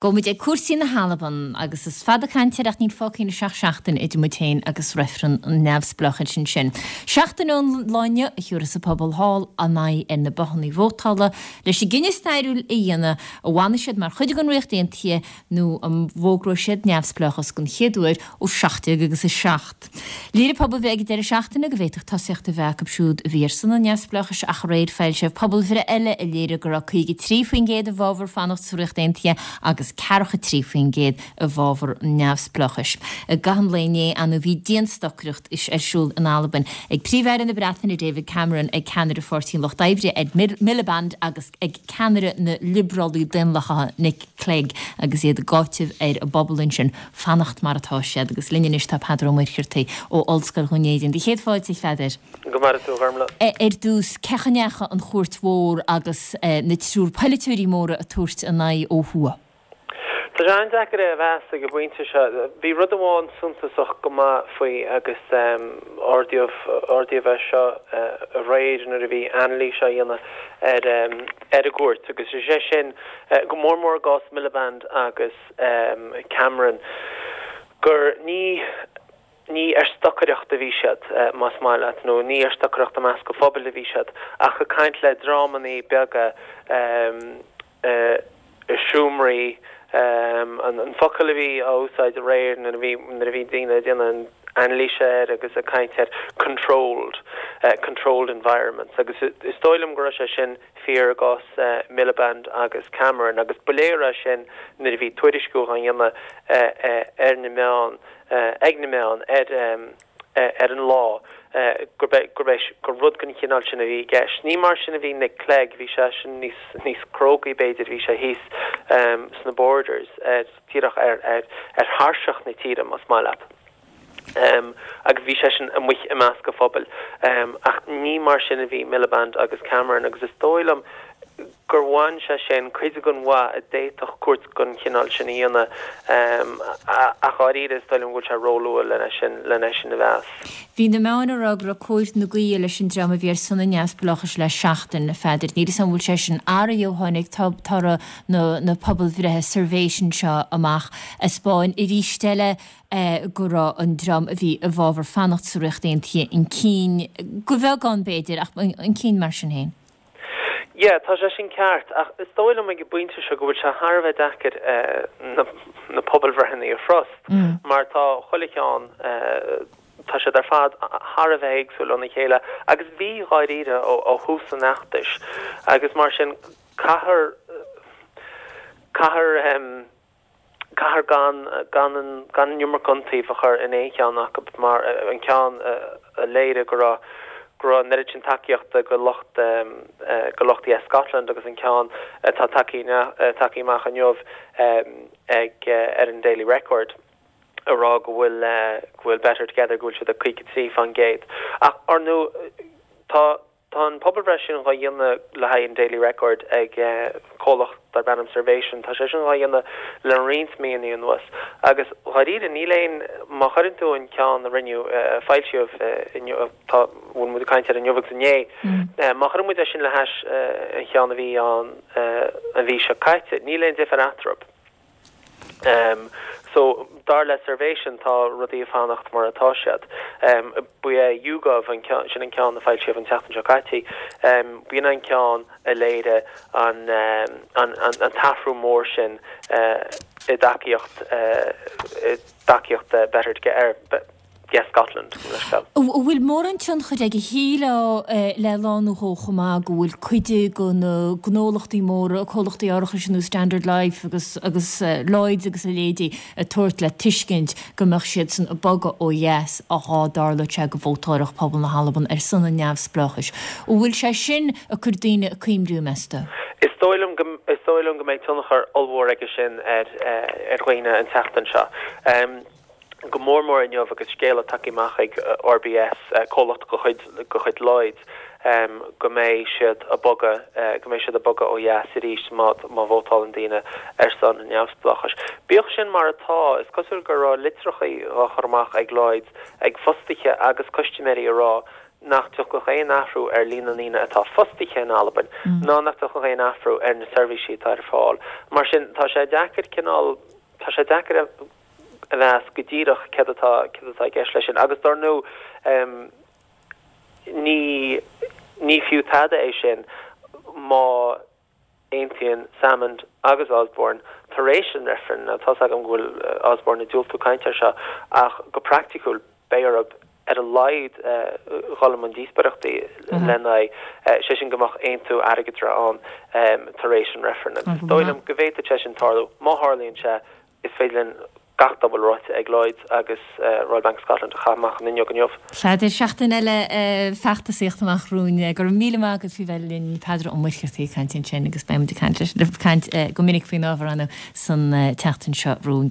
Gabhfaidh muid ag cúrsaí na hAlban agus is fada caint air ach níl fágtha anois ach seachtain idir muid féin agus reifreann an neamhspleáchais ansin. Seachtain ón lá inniu a thiúrfas an pobal thall a n-aghaidh ar na bothanna vótála leis an gcinneadh stairiúil a dhéanamh an bhfanfaidh siad mar chuid den Ríocht Aontaithe nó an bhfógróidh siad neamhspleáchas den chéad uair ó 17 agus 7. Léirigh pobalbhreith ag an deireadh seachtaine go bhféadfadh tosaíocht a bheith acu siúd a bhí ar son an neamhspleáchais ach aréir foilsíodh pobalbhreith eile a léirigh go raibh 53% i bhfabhar fanacht sa Ríocht Aontaithe agus 43% i bhfabhar an neamhspleáchais. I gcaitheamh an lae inné ar ndóigh bhí dianstocaireacht ar siúl in Albain ag Príomh-Aire na Breataine David Cameron, ag ceannaire Pháirtí an Lucht Oibre Ed Miliband agus ag ceannaire na Liobrálaí Daonlathacha Nick Clegg agus iad ag áiteamh ar an bpobal ansin fanacht mar atá siad. Agus linn anois tá Peadar Ó Muircheartaigh ó Ollscoil Dhún Éideann. Do chéad fáilte, a Pheadair. Go maire tú, a Ghormlaith. Ar dtús, cén chaoi a ndeachaigh an chuairt mhór agus na triúr polaiteoirí móra ag tabhairt a n-aghaidh ó thuaidh? Tá sé an-deacair é a mheas ag an bpointe seo. Bhí rud amháin suntasach go maith faoi agus ardaíodh ardaíodh é seo aréir nuair a bhí anailís á dhéanamh ar ar an gcuairt agus is é sin, go mór mór i gcás Miliband agus Cameron, gur ní ní ar stocaireacht a bhí siad, más maith leat, nó ní ar stocaireacht i measc an phobail a bhí siad, ach ag caint le dreamanna beaga i seomraí. An focal a bhí á úsáid aréir nuair a bhí nuair a bhí daoine ag déanamh anailíse air agus ag caint air, controlled, controlled environments, agus is dóigh liom go raibh sé sin fíor i gcás Miliband agus Cameron agus ba léir é sin nuair a bhí tuairisciú á dhéanamh ar na meáin, ag na meáin ar ar an lá gurb é gurb é gur rud den chineál sin a bhí i gceist. Ní mar sin a bhí Nick Clegg, bhí seisean níos níos crógaí b'fhéidir, bhí sé thíos sna Borders díreach ar ar ar thairseach na tíre más maith leat. Agus bhí seisean amuigh i measc an phobail. Ach ní mar sin a bhí Miliband agus Cameron agus is dóigh liom gur bhain sé sin cuid den mhaith a d'fhéadfadh cuairt den chineál sin a dhéanamh. Ach dháiríre is dóigh liom go bhfuil sé róluath len é sin, len é sin a mheas. Bhí na meáin ag rá go raibh cóir na gaoithe leis an dream a bhí ar son an neamhspleáchais le seachtain, a Pheadair. Níl 'fhios a'm an bhfuil sé sin athraithe ó tháinig toradh na pobalbhreithe Survation seo amach. Ag 'spáin arís eile go raibh an dream a bhí i bhfabhar fanacht sa Ríocht Aontaithe chun cinn, de bheagán b'fhéidir, ach chun cinn mar sin féin. Yeah, tá sé sin ceart, ach is dóigh liom ag an bpointe seo go bhfuil sé thar a bheith deacair na na pobalbhreitheanna a thrust, mar tá chuile cheann, tá siad ar fad thar a bheith éagsúil óna chéile, agus bhí dháiríre ó thús an fheachtais, agus mar sin caithfear, caithfear. Caithfear gan gan an gan an iomarca iontaoibh a chur in aon cheann acu mar an ceann a léirigh go raibh go raibh an oiread sin tacaíochta go lucht go lucht Yes Scotland agus an ceann atá tagtha tagtha amach inniu ag ar an Daily Record a rá go bhfuil go bhfuil Better Together go bhfuil siad ag 53%. Ach ar ndóigh tá Tá an pobalbhreith sin dhá dhéanamh le haghaidh an Daily Record ag comhlacht darb ainm Survation. Tá sé sin dhá dhéanamh le roinnt míonna anuas agus dháiríre níl aon, má chuireann tú an ceann a rinneadh, a foilsíodh inniu, tá, bhfuil muid ag caint air inniu agus inné, má chuireann muid é sin le hais an cheann a bhí ann an mhí seo caite, níl aon difear eatarthu. So, dar le Survation, tá rudaí ag fanacht mar atá siad. Ba é YouGov, an ceann, sin an ceann a foilsíodh an tseachtain seo caite, b'in an ceann a léirigh an, an, an t-athrú mór sin i dtacaíocht, i dtacaíocht Better Together, Yes Scotland, gabh mo leithscéal. An bhfuil mórán tionchair aige? Shílfeá le lá nó dhó chomh maith go bhfuil cuid de na gnólachtaí móra, comhlachtaí árachais ar nós Standard Life agus agus Lloyds agus a leithéidí ag tabhairt le tuiscint go mbeadh siadsan ag bogadh ó dheas dhá dtarlódh sé go vótálfadh pobal na hAlban ar son an neamhspleáchais. An bhfuil sé sin ag cur daoine ag cuimriú, meas tú? Is dóigh liom go is dóigh liom go mbeidh tionchar ollmhór aige sin ar ar dhaoine an tseachtain seo. go mór mór inniu agus scéala tagtha amach ag RBS, comhlacht de chuid de chuid Lloyds, go mbeidh siad ag bogadh, go mbeidh siad ag bogadh ó dheas arís má má vótálann daoine ar son an neamhspleáchais. Bíodh sin mar atá, is cosúil go raibh litreacha á chur amach ag Lloyds ag fostaithe agus custaiméirí ag rá. nach dtiocfadh aon athrú ar líon na ndaoine atá fostaithe in Albain ná nach dtiocfadh aon athrú ar na seirbhísí atá ar fáil. Mar sin, tá sé deacair cineál, tá sé deacair a mheas go díreach céard atá, céard atá i gceist leis sin. Agus dar ndóigh, ní, ní fiú tada é sin má aontaíonn Salmond agus Osborne tar éis an reifrinn, now tá's agam go bhfuil Osborne ag diúltú caint air seo, ach go praiticiúil beidh orthu ar a laghad dhul i mbun díospóireachtaí lena aghaidh, sé sin go mbeadh aontú airgeadra ann tar éis an reifrinn. Agus is dóigh liom go bhféadfadh sé sin tarlú. Má tharlaíonn sé, Is féidir linn gach dá bhfuil ráite ag Lloyds agus Royal Bank of Scotland a chaitheamh amach an fhuinneog inniu. Sea, seachtain eile feachtasaíochta amach romhainn. Go raibh míle maith agat faoi bheith linn, Peadar Ó Muircheartaigh ag caint ansin agus beidh muid ag caint leis, ag caint go minic faoin ábhar ann san tseachtain seo romhainn.